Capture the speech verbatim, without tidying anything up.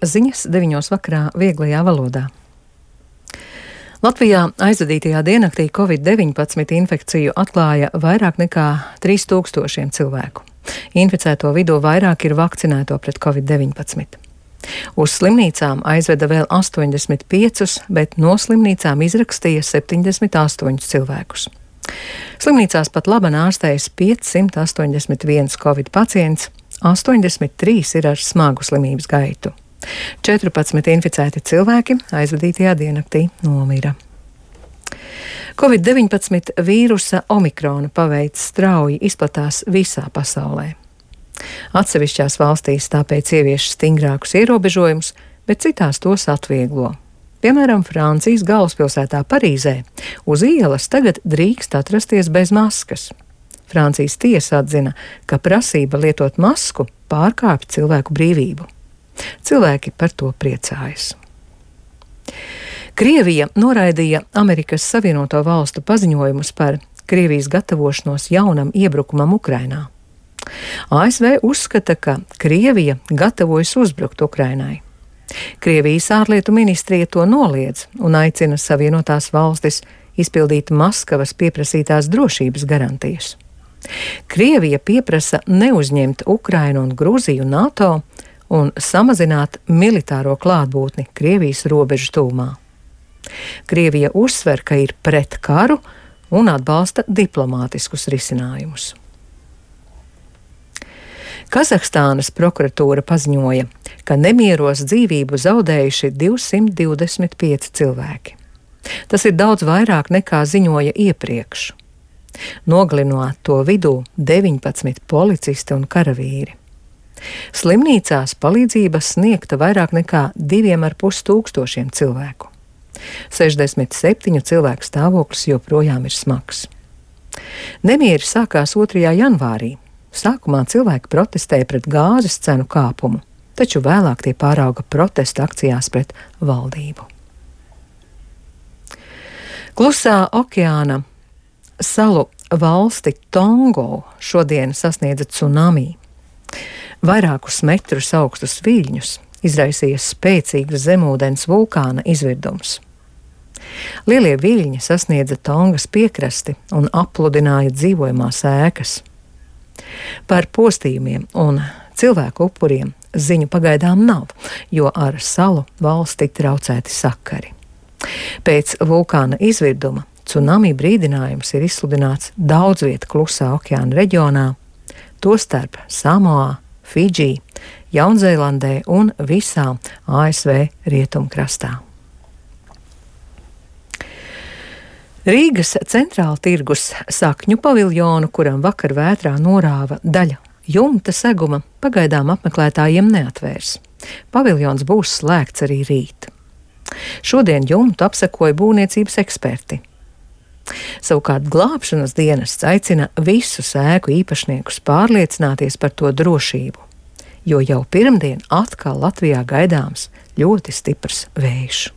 Ziņas deviņos vakarā vieglajā valodā. Latvijā aizvadītajā diennaktī covid deviņpadsmit infekciju atklāja vairāk nekā trīs tūkstošiem cilvēku. Inficēto vidū vairāk ir vakcinēto pret covid deviņpadsmit. Uz slimnīcām aizveda vēl astoņdesmit piecus, bet no slimnīcām izrakstīja septiņdesmit astoņus cilvēkus. Slimnīcās pat laban ārstējas piecsimt astoņdesmit viens covid pacients, astoņdesmit trīs ir ar smagu slimības gaitu. četrpadsmit inficēti cilvēki aizvadītajā diennaktī nomira. covid deviņpadsmit vīrusa omikrona paveids strauji izplatās visā pasaulē. Atsevišķās valstīs tāpēc ievieš stingrākus ierobežojumus, bet citās tos atvieglo. Piemēram, Francijas galvaspilsētā Parīzē uz ielas tagad drīkst atrasties bez maskas. Francijas tiesa atzina, ka prasība lietot masku pārkāpj cilvēku brīvību. Cilvēki par to priecājas. Krievija noraidīja Amerikas Savienoto Valstu paziņojumus par Krievijas gatavošanos jaunam iebrukumam Ukrainā. A S V uzskata, ka Krievija gatavojas uzbrukt Ukrainai. Krievijas ārlietu ministrija to noliedz un aicina Savienotās valstis izpildīt Maskavas pieprasītās drošības garantijas. Krievija pieprasa neuzņemt Ukrainu un Grūziju NATO un samazināt militāro klātbūtni Krievijas robežu tūmā. Krievija uzsver, ka ir pret karu un atbalsta diplomātiskus risinājumus. Kazahstānas prokuratūra paziņoja, ka nemieros dzīvību zaudējuši divsimt divdesmit pieci cilvēki. Tas ir daudz vairāk nekā ziņoja iepriekš. Nogalinot to vidū deviņpadsmit policisti un karavīri. Slimnīcās palīdzības sniegta vairāk nekā diviem ar pus tūkstošiem cilvēku. sešdesmit septiņu cilvēku stāvoklis joprojām ir smags. Nemieri sākās otrajā janvārī. Sākumā cilvēki protestēja pret gāzes cenu kāpumu, taču vēlāk tie pārauga protesta akcijās pret valdību. Klusā okeāna salu valsti Tongo šodien sasniedza tsunami. Vairākus metrus augstus viļņus izraisīja spēcīgs zemūdens vulkāna izvirdums. Lielie viļņi sasniedza Tongas piekrasti un apludināja dzīvojamās ēkas. Par postījumiem un cilvēku upuriem ziņu pagaidām nav, jo ar salu valsti traucēti sakari. Pēc vulkāna izvirduma tsunami brīdinājums ir izsludināts daudz vietu Klusā okeāna reģionā, tostarp Samoā, Fidži, Jaunzēlandē un visā A S V rietumkrastā. Rīgas centrāla tirgus sakņu paviljonu, kuram vakar vētrā norāva daļa jumta seguma, pagaidām apmeklētājiem neatvērs. Paviljons būs slēgts arī rīt. Šodien jumtu apsekoja būvniecības eksperti. Savukārt glābšanas dienests aicina visus ēku īpašniekus pārliecināties par to drošību, jo jau pirmdien atkal Latvijā gaidāms ļoti stiprs vējš.